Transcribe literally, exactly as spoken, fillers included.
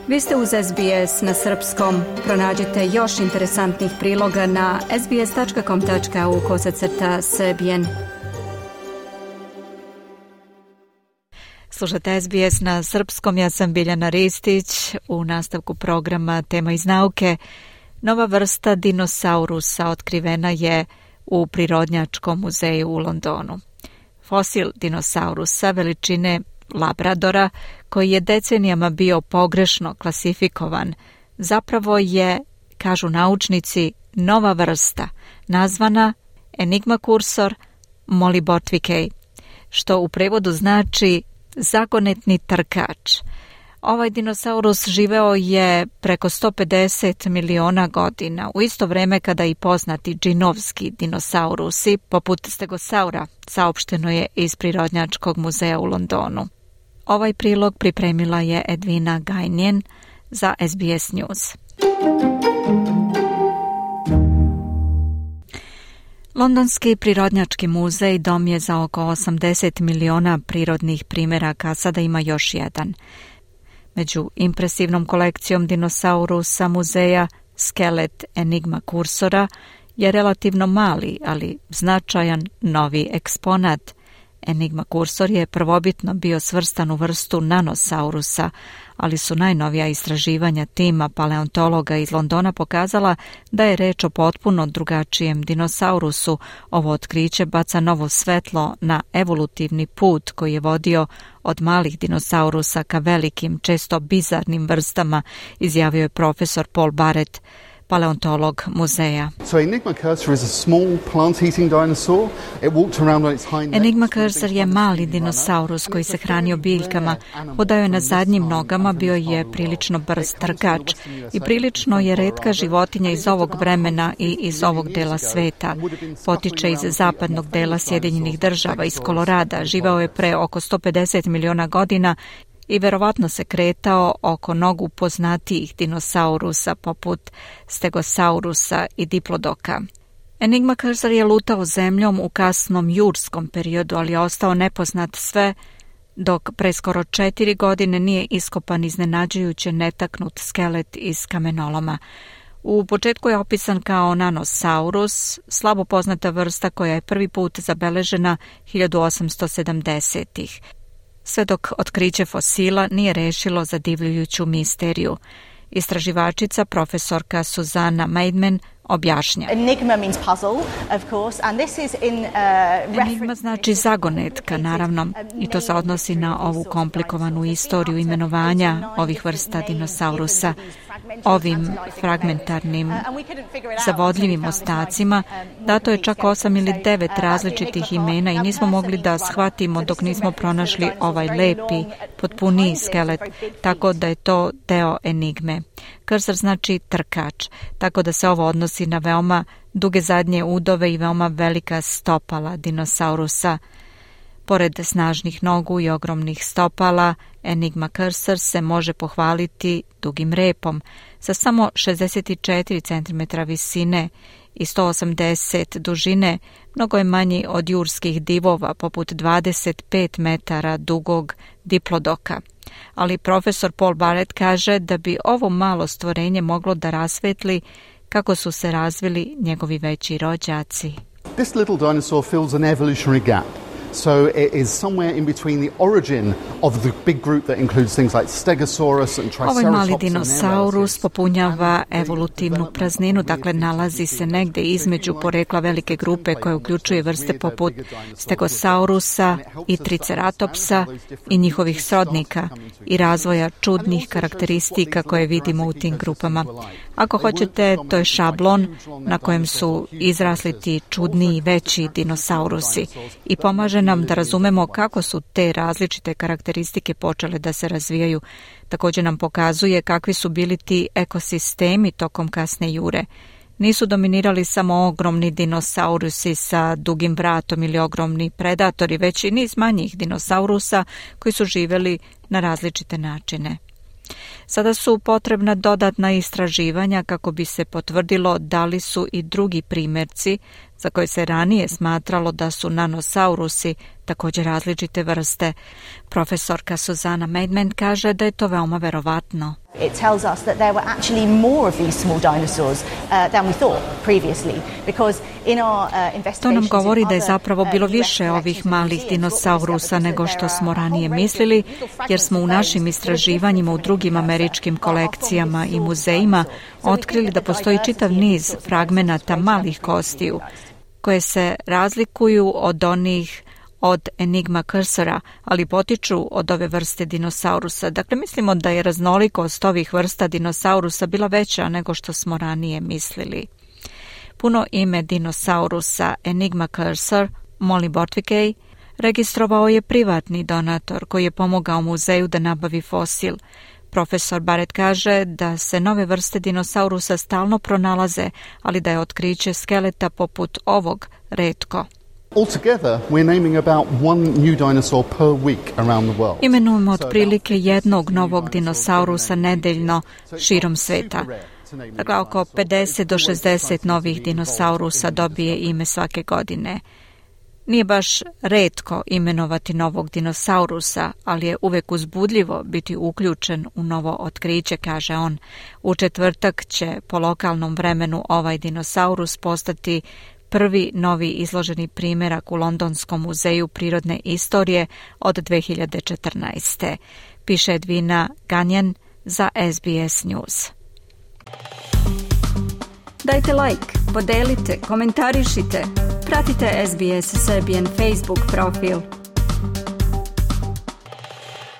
Vi ste uz S B S na srpskom. Pronađite još interesantnih priloga na sbs.com tačka au kosacrta srbijen. Slušate S B S na srpskom, ja sam Biljana Ristić. U nastavku programa Tema iz nauke. Nova vrsta dinosaurusa otkrivena je u Prirodnjačkom muzeju u Londonu. Fosil dinosaurusa veličine Labradora, koji je decenijama bio pogrešno klasifikovan, zapravo je, kažu naučnici, nova vrsta, nazvana Enigma cursor molibotvikei, što u prevodu znači zagonetni trkač. Ovaj dinosaurus živeo je preko sto pedeset miliona godina, u isto vreme kada i poznati džinovski dinosaurusi, poput stegosaura, saopšteno je iz Prirodnjačkog muzeja u Londonu. Ovaj prilog pripremila je Edvina Gajnjen za S B S News. Londonski Prirodnjački muzej dom je za oko osamdeset miliona prirodnih primeraka, sada ima još jedan. Među impresivnom kolekcijom dinosaurusa muzeja skelet Enigma cursora je relativno mali, ali značajan novi eksponat. Enigma cursor je prvobitno bio svrstan u vrstu nanosaurusa, ali su najnovija istraživanja tima paleontologa iz Londona pokazala da je reč o potpuno drugačijem dinosaurusu. Ovo otkriće baca novo svetlo na evolutivni put koji je vodio od malih dinosaurusa ka velikim, često bizarnim vrstama, izjavio je profesor Paul Barrett, paleontolog muzeja. So Enigma cursor is a small plant-eating dinosaur. It walked around on its hind legs. Enigma cursor je mali dinosaurus koji se hranio biljkama. Hodao je na zadnjim nogama, bio je prilično brz trkač i prilično je retka životinja iz ovog vremena i iz ovog dela sveta. Potiče iz zapadnog dela Sjedinjenih država, iz Kolorada. Živao je pre oko sto pedeset miliona godina i verovatno se kretao oko nogu poznatijih dinosaurusa poput stegosaurusa i diplodoka. Enigma cursor je lutao zemljom u kasnom jurskom periodu, ali je ostao nepoznat sve dok pre skoro četiri godine nije iskopan iznenađujuće netaknut skelet iz kamenoloma. U početku je opisan kao nanosaurus, slabo poznata vrsta koja je prvi put zabeležena hiljadu osamsto sedamdesetih. Sve dok otkriće fosila nije rešilo zadivljujuću misteriju. Istraživačica profesorka Suzana Maidman objašnja. Enigma means puzzle, of course, and this is in uh, Enigma znači zagonetka, naravno, i to se odnosi na ovu komplikovanu istoriju imenovanja ovih vrsta dinosaurusa. Ovim fragmentarnim, zavodljivim ostacima dato je čak osam ili devet različitih imena i nismo mogli da shvatimo dok nismo pronašli ovaj lepi, potpuniji skelet, tako da je to deo enigme. Cursor znači trkač, tako da se ovo odnosi na veoma duge zadnje udove i veoma velika stopala dinosaurusa. Pored snažnih nogu i ogromnih stopala, Enigma cursor se može pohvaliti dugim repom sa samo šezdeset četiri centimetra visine i sto osamdeset dužine, mnogo je manji od jurskih divova poput dvadeset pet metara dugog diplodoka. Ali profesor Paul Barrett kaže da bi ovo malo stvorenje moglo da rasvetli kako su se razvili njegovi veći rođaci. This little dinosaur fills an evolutionary gap. So it is somewhere in between the origin of the big group that includes things like Stegosaurus and Triceratops. Ovaj mali dinosaurus popunjava evolutivnu prazninu, dakle nalazi se negde između porekla velike grupe koje uključuje vrste poput Stegosaurusa i Triceratopsa i njihovih srodnika i razvoja čudnih karakteristika koje vidimo u tim grupama. Ako hoćete, to je šablon na kojem su izrasli ti čudniji veći dinosaurusi i pomaže nam da razumemo kako su te različite karakteristike počele da se razvijaju. Također nam pokazuje kakvi su bili ti ekosistemi tokom kasne jure. Nisu dominirali samo ogromni dinosaurusi sa dugim vratom ili ogromni predatori, već i niz manjih dinosaurusa koji su živjeli na različite načine. Sada su potrebna dodatna istraživanja kako bi se potvrdilo da li su i drugi primjerci za koje se ranije smatralo da su nanosaurusi također različite vrste. Profesorka Susana Maidment kaže da je to veoma verovatno. It tells us that there were actually more of these small dinosaurs uh, than we thought previously, because in our uh, investigations. To nam govori da je zapravo bilo više ovih malih dinosaurusa nego što smo ranije mislili, jer smo u našim istraživanjima u drugim američkim kolekcijama i muzejima otkrili da postoji čitav niz fragmenata malih kostiju koje se razlikuju od onih od Enigma cursora, ali potiču od ove vrste dinosaurusa. Dakle, mislimo da je raznolikost ovih vrsta dinosaurusa bila veća nego što smo ranije mislili. Puno ime dinosaurusa Enigma cursor, Molly Bortvikej, registrovao je privatni donator koji je pomogao muzeju da nabavi fosil. Profesor Barrett kaže da se nove vrste dinosaurusa stalno pronalaze, ali da je otkriće skeleta poput ovog retko. Altogether, we're naming about one new dinosaur per week around the world. Imenujemo otprilike jednog novog dinosaurusa nedeljno širom sveta. Dakle, oko pedeset do šezdeset novih dinosaurusa dobije ime svake godine. Nije baš retko imenovati novog dinosaurusa, ali je uvek uzbudljivo biti uključen u novo otkriće, kaže on. U četvrtak će po lokalnom vremenu ovaj dinosaurus postati prvi novi izloženi primjerak u Londonskom muzeju prirodne istorije od dve hiljade četrnaeste. Piše Edwina Ganjan za S B S News. Dajte like, podelite, komentarišite, pratite S B S Serbian Facebook profil.